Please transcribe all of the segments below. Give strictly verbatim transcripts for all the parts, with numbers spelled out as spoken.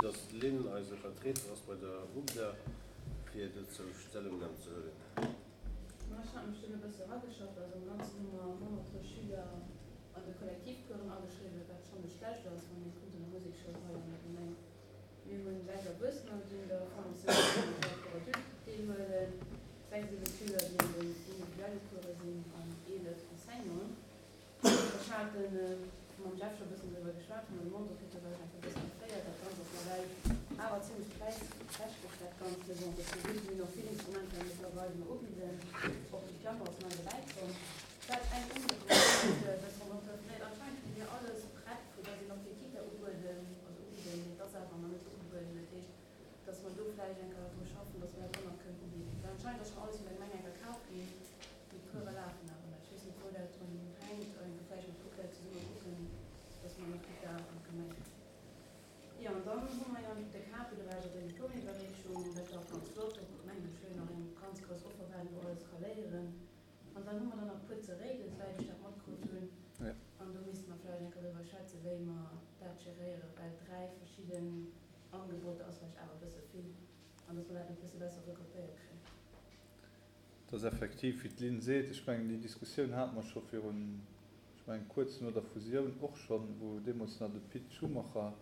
Dass d'Lynn eise Vertrieder ass bei der UGDA, fir dozou Stellungnam ze huelen. Ma ech hat mech dunn e bësse erageschafft. Also am Ganzen hu mer honnertdrësseg Schüler an de Kollektivcoursen ageschriwwen, wat schonn net schlecht ass, wann ee kuckt an der Musekschoul hei an der Gemeng. Mir hunn sechs Erwuessener, déi un der Formation fondamentale pour adultes deelhuelen, sechs, siwe Schüler, déi an den individuelle Course sinn an eelef Enseignanten. Ech hat mam Jeff scho bëssen driwwer geschwat, wou mer de Montant kritt hunn, war ech einfach e bëssen erféiert. Dat Ganzt ass nawell awer zimlech präissträchteg, dat Ganzt. Mee bon, dat ass gutt, mir hunn och vill Instrumenter mëttlerweil, déi mer ubidden. Och de Piano ass nei dobäi komm. Wat eng Umierkung ass, e bëssen entreprenant, anscheinend hu mir alles prett, vu dass een och fir d'Kita ubueden, also ubidden, mee et ass awer nach net ugebueden. Dat heescht, dass mer do vläicht eng Kéier dru schaffen, dass mer dat och nach kënnen ubidden. Well anscheinend ass schonn alles vun der Gemeng eng Kéier kaf ginn, mee d'Course lafen awer net. Ech weess net, wou dat drun hänkt. Eng Kéier vläicht mat UGDA zesumme kucken, dass mer nach Kita an d'Gemeng kréien. Jo, an dann hu mer jo de Capi, do war ech op der Diplomiwwerreechung, dat war och ganz flott. Do huet d'Gemeng schön nach eng ganz grouss Offer waren, wou alles ka léieren. An dann hu mer dann nach e puer ze Réiden, souwäit ech dat matkritt hunn. An do misste mer vläicht eng Kéier driwwer schwätzen, wéi mer dat geréieren, well dräi verschidden Angeboter ass vläicht awer e bësse vill an dass mer dat nach e bësse besser regroupéiert kréien. Et ass effektiv, wéi d'Lynn seet, ech mengen, déi Diskussioun hate mer scho virun, ech mengen, kuerz no der Fusioun och schonn, wou deemools nach de Pit Schumacher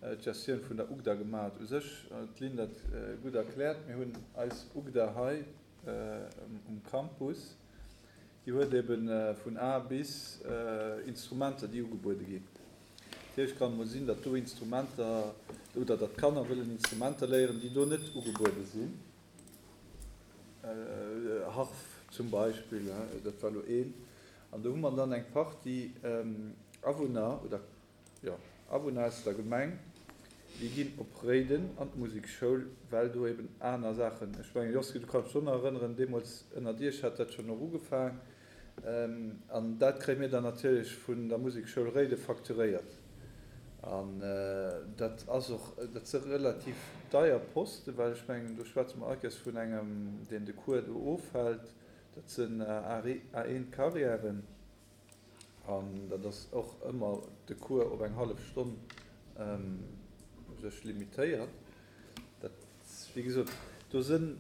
d'Gestioun vun der UGDA gemaach huet. U sech huet d'Lynn dat gutt erkläert. Mir hunn eis UGDA hei um Campus, déi huet ebe vun A bis Instrumenter, déi ugebuede ginn. Natierlech kann et mol sinn, datt do Instrumenter oder datt Kanner wëllen Instrumenter léieren, déi do net ugebuede sinn. Harf zum Beispill, dat war elo een. An do hu mer dann eng Partie Awunner oder, jo, Awunner aus der Gemeng, déi ginn op Réiden an d'Musekschoul, well do eben aner Saachen, ech mengen, Josky, du kanns dech och nach erënneren, deemools ënnert Iech hat dat schonn och ugefaang. An dat kréie mir dann natierlech vun der Musekschoul Réiden facturéiert. An dat ass och, dat si relativ deier Posten, well ech mengen, do schwätze mer allkéiers vun engem, deen de Cours do ofhält, dat sinn A eent Carrièren. An dat ass och ëmmer de Cours op eng hallef Stonn u sech limitéiert. Dat, wéi gesot, do sinn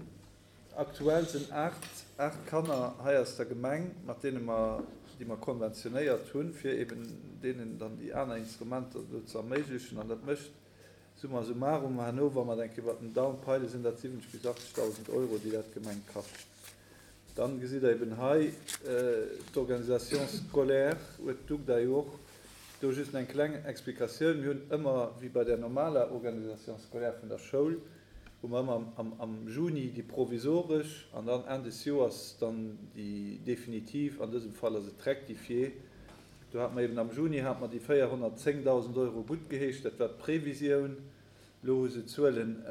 aktuell sinn aacht, aacht Kanner hei aus der Gemeng, mat deene mer, déi mer konventionéiert hunn, fir eben deenen dann déi aner Instrumenter do ze erméiglechen. An dat mécht summa summarum herno, wa mer eng Kéier iwwert den Daum peile, sinn dat siwwenzeg bis achtzegdausend Euro, déi dat d'Gemeng kascht. Dann gesitt Der eben hei d'Organisation scolaire, huet d'UGDA jo och do just eng kleng Explikatioun. Mir hunn ëmmer, wéi bei der normaler Organisation scolaire vun der Schoul, hu mer ëmmer am Juni déi provisoresch an dann Enn des Joers dann déi definitiv, an dësem Fall ass et d'Rectifiée. Do hate mer eben am Juni hate mer déi véierhonnertzéngdausend Euro guttgeheescht, dat war d'Previsioun. Elo hu se d'Zuelen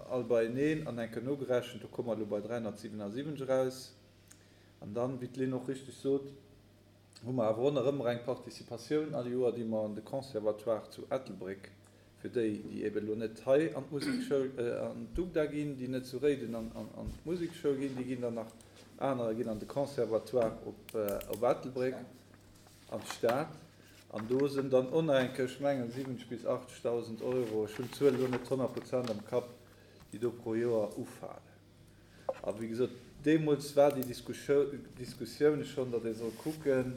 all beieneen an eng Kéier nogerechent, do komme mer elo bei dräihonnertsiwenasiwwenzeg eraus. An dann, wéi d'Lynn och richtig sot, hu mer awer och nach ëmmer eng Participatioun all Joer, déi mer an de Conservatoire zu Ettelbréck, fir déi, déi eben elo net hei an d'Musekschoul, an d'UGDA ginn, déi net zu Réiden an d'Musekschoul ginn, déi ginn dann nach, anerer ginn an de Conservatoire op Ettelbréck, an d'Stad. An do sinn dann och nach eng Kéier, ech mengen, siwwenzeg bis achtzegdausend Euro, ech hunn d'Zuel elo net honnert Prozent am Kapp, déi do pro Joer ufalen. A wéi gesot, deemools war déi Diskussioun schonn, datt ee soll kucken,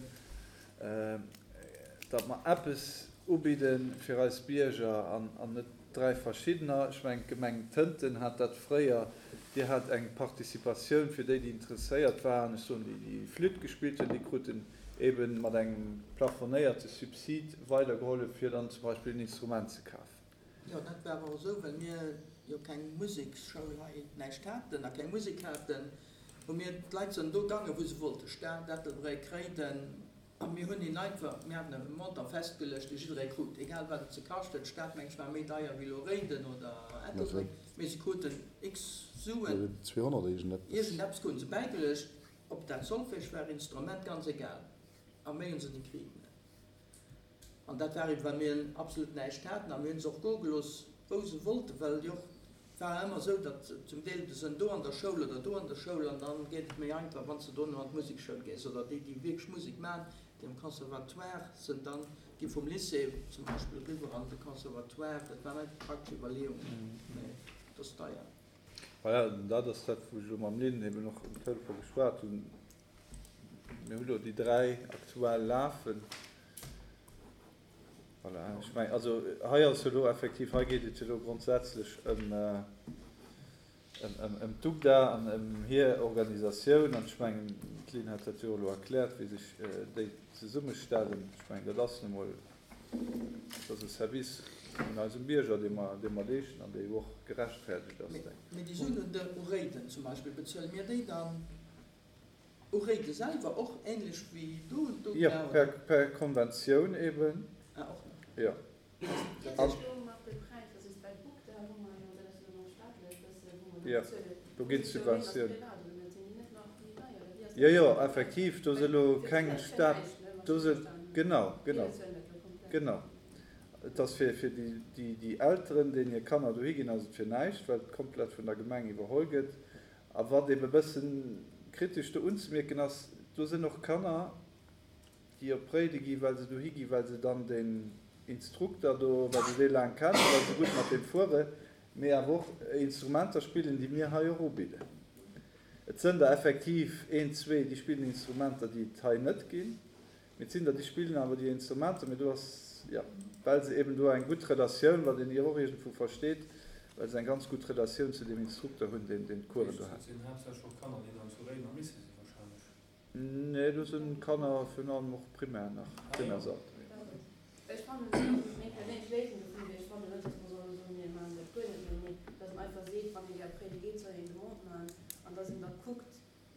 datt mer eppes ubidde fir eis Bierger an net dräi verschiddener. Ech mengen, d'Gemeng Tënten hat dat fréier, déi hat eng Participatioun fir déi, déi interesséiert waren, ech soen, déi, déi Flütt gespillt hunn, déi kruten ebe mat engem plafonéierte Subsid weidergehollef, fir dann zum Beispill en Instrument ze kafen. Jo, dat war och esou, well mir jo keng Museksschoul hei, näischt haten a keng Musek haten, hu mir, d'Leit sinn do gaangen, wou se wollten, Stad, Ettelbréck, Réiden, a mir hunn hinnen einfach, mir haten e Montant festgeluecht, dee jidderee krut, egal wat et se kascht huet. D'Stad, meng ech, war méi deier wéi elo Réiden oder Ettelbréck, mee se kruten x Suen, iergendeppes kruten se bäigeluecht, ob dat Solfège war, Instrument, ganz egal. A méi hunn se net kritt. An dat war eben, well mir absolut näischt haten. A mir hunn se och goe gelooss, wou se wollten, well jo, et war ëmmer esou, datt zum Deel se sinn do an der Schoul oder do an der Schoul an dann geet et méi einfach, wann s de dono an d'Musekschoul gees. Oder déi, déi wierklech Musek maachen, déi am Conservatoire sinn, dann gi vum Lycée zum Beispill eriwwer an de Conservatoire. Dat waren einfach praktesch Iwwerleeungen, mä et ass deier. Voilà, an dat ass dat, wou ech elo mam Lynn eben och um Telefon geschwat hunn. Mir hu lo déi dräi aktuell lafen. Voilà, ech meng, also hei ass jo elo effektiv, hei geet et jo elo grondsätzlech ëm, ëm, ëm, ëm d'UGDA an ëm hir Organisatioun. An ech mengen, d'Lynn hat dat jo elo erkläert, wéi sech déi zesummestellen. Ech mengen, dat ass nu emol, dat ass e Service un eisem Bierger, dee mer, dee mer leeschten an dee jo och gerechtfertigt ass, denken ech. Mee déi Suen un de u Réiden zum Beispill, bezuele mir déi dann u Réide selwer och ähnlech wéi do un d'UGDA, Jo, oder? per, per Konventioun eben. Ah, och nach. Jo. Dat An. heescht elo mat de Präisser, also bei d'UGDA hu mer jo, dat ass jo dann och staatlech, bësse wou mer do Jo, bezuelen. do ginn Wéi ass dat d'Subventiounen. privat oder net? Sinn déi net nach méi deier oder wéi ass Jo, dat? jo, effektiv, do si Well elo fir keng d'Schüler ass jo Staat, näischt, ne, wann do ech si, richtig verstanen hunn. genau, Mir genau, bezuelen dat elo komplett. genau. Et ass fir, fir déi, déi, déi Elteren, deenen hir Kanner dohi ginn, ass et fir näischt, well et komplett vun der Gemeng iwwerholl gëtt. A wat ebe bëssen kritesch do unzemierken ass, do sinn och Kanner, déi op Réide gi well se dohi gi, well se dann deen Instrukter do, well se dee laang kennen, well se gutt mat deem fueren, mee awer och Instrumenter spillen, déi mir hei och ubidden. Et sënn der effektiv een, zwee, déi spillen Instrumenter, déi et hei net ginn. Mee et sinn der, déi spillen awer déi Instrumenter, mee do ass, jo, well se eben do eng gutt Relatioun, wat een jo och iergendwou versteet, well se eng ganz gutt Relatioun zu deem Instrukter hunn, deen deen d'Coursen do Dat hält. sinn haaptsächlech och Kanner, déi dann zu Réiden am Lycée sinn wahrscheinlech. Nee, do si Kanner virun allem och Primär nach, Ah jo. Primärsalter, jo. Ech fannen, et ass meng perséinlech Léisung dofir, mee ech fannen net, dass mer solle soen, mir maachen dat guer net méi, mee dass een einfach seet, wann ee gär op Réide geet, soll een Demande maachen an dass een da kuckt,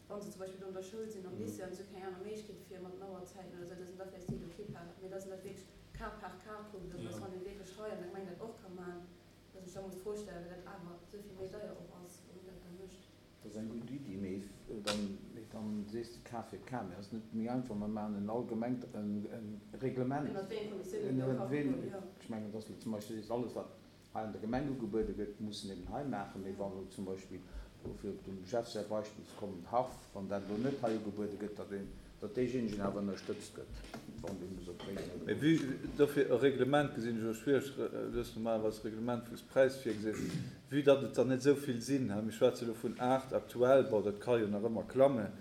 wa se zum Beispill do an der Schoul sinn, am Lycée an se hu keng aner Méiglechkeet fir mat den Auerzäiten oder esou, dass een da vläicht seet, okay, par, mee dass een dat wierklech cas par cas kuckt, also dass wann ee wierklech hei an der Gemeng dat och ka maachen, dass ech da muss d'Fro stellen, well dat awer esou vill méi deier och ass, wann een dat da mécht. Dat ass eng gutt Iddi, mee dann, mee dann sees de Cas fir Cas. Mee ass et net méi einfach, mer maachen en allgemengt, en, en Reglement, Ënner wéi enge Konditiounen ënner do ka wéi, goen, jo. ech mengen, dass zum Beispill sees, alles wat hei an der Gemeng ugebuede gëtt, mussen eben hei maachen, mee wann elo zum Beispill, do fir op dem Jeff säi Beispill ze kommen, d'Harf, wann dat elo net hei ugebuede gëtt, datt een, datt deejéinegen awer ënnerstëtzt gëtt, wann dee muss op Réiden oder Mee wou. vue, dofir e Reglement gesinn ech och schwiereg, du hues normalerweis e Reglement wou s Präis virgeséis, vue datt et der net esou vill sinn, mir schwätze elo vun aacht aktuell, bon dat ka jo nach ëmmer klammen,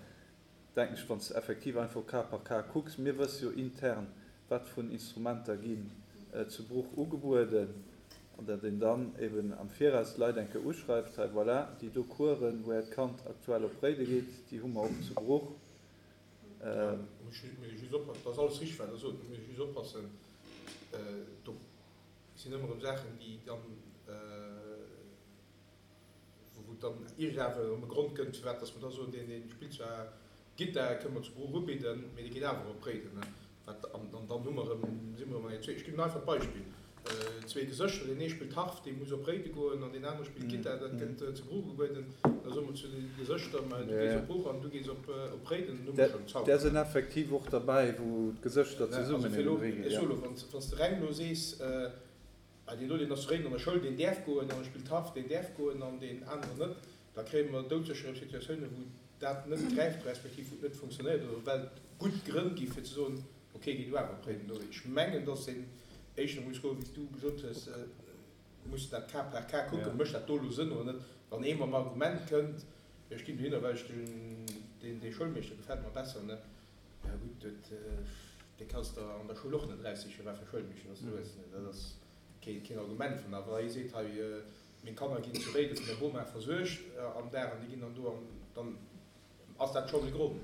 denken ech, wann s de effektiv einfach cas par cas kucks, mir wësse jo intern, wat vun Instrumenter ginn zu Bruch ugebueden, an datt een dann eben am Viraus d'Leit eng Kéier uschreift, hei voilà, déi do Coursen, wou Äert Kand aktuell op Réide geet, déi hu mer och zu Bruch. Muss just oppassen, dat ass alles richteg, wat Der sot, muss just oppassen, do sinn ëmmer erëm Saachen, déi dann, wou et dann iergendawer erëm e Grond gëtt, firwat dass mer da soen, deen, dee spillt zwar Gittar, kënne mer zu Bruch ubidden, mee dee geet awer op Réiden. Wat, an dann hu mer erëm, si mer erëm an engem, ech ginn en einfacht Beispill, zwee Gesëschter, deen ee spillt Harf, dee muss op Réide goen, an deen anere spillt Gittar, dat gëtt zu Bruch ugebueden. Da soe mer zu de Gesëschter, ma du gees op Bruch an du gees op Réiden, dann hu mer schonn Där Zauber. sinn effektiv och derbäi, wou d'Gesëschter Also zesummen fir elo, eben dohi ech ginn, soe jo. elo, wann s de reng elo sees, ah deen do, deen ass zu Réiden an der Schoul, deen däerf goen an e spillt Harf, deen däerf goen an deen aneren net, da kréie mer doudsécher erëm Situatiounen, wou dat net gräift respektiv wou et net funktionéiert oder well et gutt Grënn gi fir ze soen, okay, géi du awer op Réiden. Ech mengen, dass een éischter muss goen, wéi s du gesot hues, muss dat cas par cas kucken, mécht dat do elo Sënn oder net. Wann ee mam Argument kënnt, jo ech ginn dohinner, well ech den, deen, dee Schoulmeeschter gefält mer besser, ne, ja gutt, dat, dee kanns de an der Schoul och net eraussichen, wat fir e Schoulmeeschter dass du hues, ne, dat ass keen, keen Argument. Wann awer ee seet, hei, meng Kanner ginn zu Réiden vun der Boma versuergt am Dag an déi ginn dann do an, dann ass dat schonn e Grond.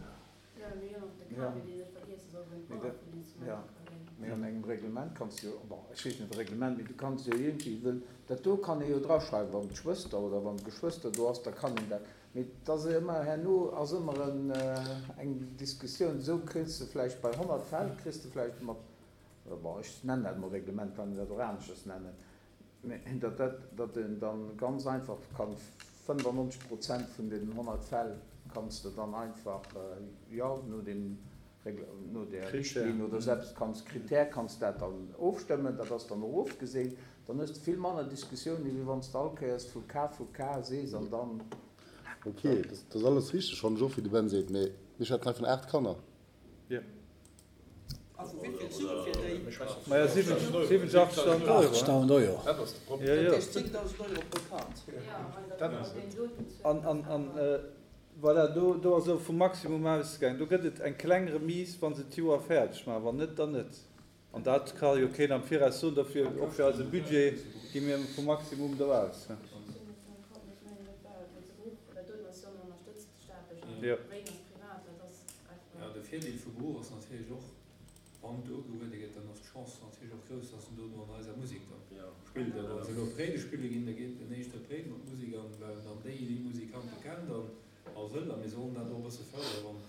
Jo, mee jo, de Ja. Kawi, deen net vergiesse soll, wou Mee d'Bauer dat, vun Instrumenter ja. ka ginn. Mee an engem Reglement kanns du jo, bon, ech weess net, Reglement, mee du kanns jo iergendwéi, wëll dat do kann ee jo draschreiwen, wann d'Schwëster oder wann d'Geschwëster do ass, da kann een dat, mee et ass ëmmer, herno ass ëmmer en, eng Diskussioun, esou kriss de vläicht bei honnert Fäll, kriss de vläicht mat, bon, ech nennen dat emol Reglement, kann een dat och aneschters nennen, mee datt dat, datt een dann ganz einfach kann fënnefannonzeg Prozent vun deenen honnert Fäll kanns de dann einfach, jo, no deem Regl-, no där Critère. Richtlinn oder selbst kanns, Critère kanns dat dann ofstëmmen, dat ass dann och ofgeseent, dann hues de vill manner Diskussiounen, wéi wann s de all Kéiers vu Cas vu Cas sees an dann. Ok, dat ass alles richteg, fannen ech och, wéi de Ben seet, mee mir schwätzen hei vun aacht Kanner. Jo. A vu wéi vill Sue fir déi? Maja, siwwenzeg, achttausend Euro. Achttausend Euro. Dat ass de Problem. Ja, ja. Dat heescht zéngtausend Euro pro Kand. Dat ass et. An, an, an voilà, do, do ass elo vum Maximum ausgaangen. Do gëtt et eng kleng Remise, wa se d'Joer fäerdeg maachen. Wann net, dann net. An dat ka jo keen am Viraus soen. Dofir, och fir eise Budget, gi mir vum Maximum do aus. Jo. Jo, de Virdeel vu Bruch ass natierlech och, wann do ugehuele gëtt, dann ass d'Chance natierlech och grouss, dass en dono an eiser Musek da spillt. A wa se elo op Réiden spille ginn, da geet en éischter op Réiden mat Musek an, well en dann déi Musikante kennt an a wëll. A mir sollen dat och e bësse fërderen, wann,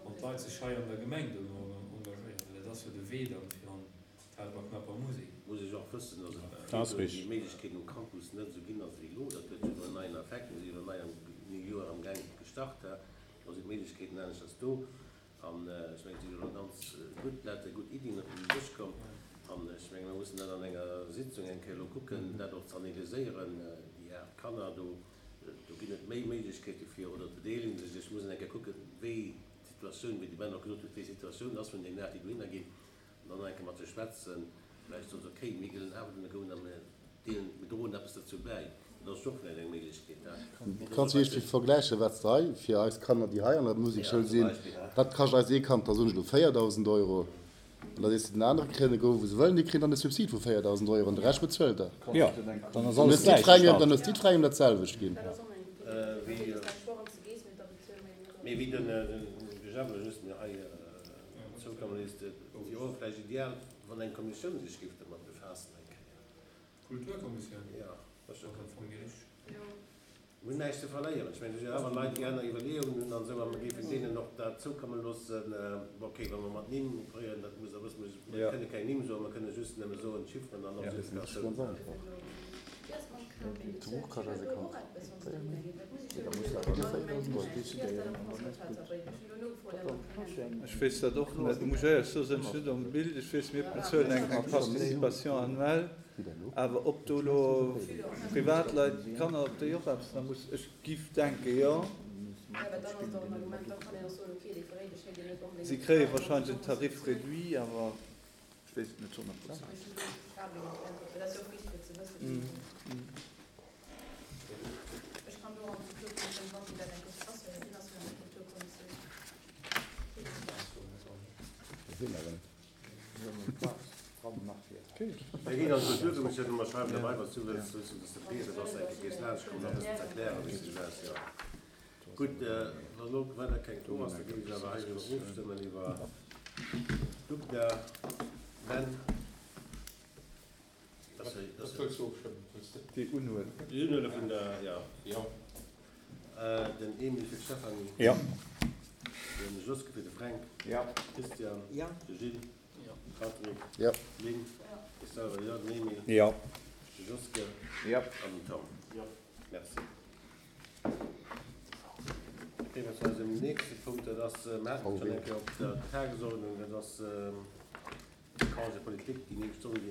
wann d'Leit sech hei an der Gemeng dono engagéieren, well dat ass jo de Wee dann fir an d'Helperknapper Musek. Muss ech och wëssen, dass et Dat ass virdrun déi richtig. Méiglechkeeten um Campus net esou ginn ass wéi elo. Dat huet jo elo en neien Effekt. Mir si jo elo nei am Joer am Gaang gestart. Do sinn d'Méiglechkeeten aneschters do. An ech mengen, et sinn elo ganz gutt Leit, gutt Iddien op den Dësch komm. An ech mengen, mir mussen dat an enger Sitzung eng Kéier elo kucken, dat och ze analyséieren, déi aacht Kanner do. Do ginn et méi Méiglechkeete fir, oder d'bedeelegen sech. Ech muss eng Kéier kucken, wéi d'Situatioun, wéi de Ben och gesot huet, wéi d'Situatioun ass vun deenen aacht, déi dohinner ginn, an dann nach eng Kéier mat se schwätzen. Vläicht soen se, okay, mir gëllen awer dohinner goen a mir deelen, mir droen eppes dozou bäi. Dat ass och vläicht eng Méiglechkeet. Du kanns jo iergendwéi vergläichen, wat s de hei fir eis Kanner, déi hei an der Musekschoul sinn, dat kascht eis ee Kand da soen ech elo véierdausend Euro. An da sees de den anere kréien e gouf, wou se wëllen, déi kréien dann e Subsid vu véierdausend Euro an de Rescht bezuelt der. Jo, dann ass Dann alles hues jiddwerengem, gläichgestallt. dann hues jiddwerengem dat selwecht ginn. Mee wéi den Jemp just mir hei zoukomme léisst, et wier och vläicht ideal, wann eng Kommissioun sech géif domat befaassen eng Kéier. D'Kulturkommissioun? Jo, dat ass jo am Fong déi richteg. Mir hunn näischt ze verléieren. Ech mengen, do si jo awer Leit, déi aner Iwwerleeungen hunn an esou, a mir géifen deenen och dat zoukomme loossen. Bon, okay, wa mer mat Nimm operéieren, dat muss Der wëssen, mir kënne keng Nimm soen, mer kënne just nëmme soen, d'Chifferen an och Dat ass ganz d'Situatioun. einfach. Ech weess dat och net, muss ech éierlech soen, sinn ech net am Bild. Ech weess, mir bezuelen eng Participation annuelle, awer ob do elo Privatleit, Kanner, ob déi och eppes, da muss, ech giff denke jo. Si kréie wahrscheinlech en Tarif réduit, awer ech weess et net honnert Prozent. Mir ginn an d'Kulturkommissioun a mer schreiwen derbei, wann s du wëlls, wëlls du, dass de Peter dass eng Kéier géifs laanschtkommen, dat e bëssen ze erklären, wéi sech dat, jo. Gutt, wann elo weider keng do ass, da géif ech awer hei driwwer ofstëmmen, iwwer d'UGDA. Ben? Wat wëlls du ofstëmmen? Wëlls de? Déi Unhuele. Déi Unhuele vun der, jo. Jo. Den Emil fir d'Stéphanie. Jo. Den Joske fir de Fränk. Jo. Christian. Jo. De Gilles. Jo. Patrick. Jo. Lynn. Ech selwer jo. Den Emil. Jo. De Joske. Jo. An den Tom. Jo. Merci. Da kéime mer zu eisem nächste Punkt. Dat ass, mer haten et schonn eng Kéier op der Tagesordnung, dat ass de Congé politique, déi néng Stonnen, déi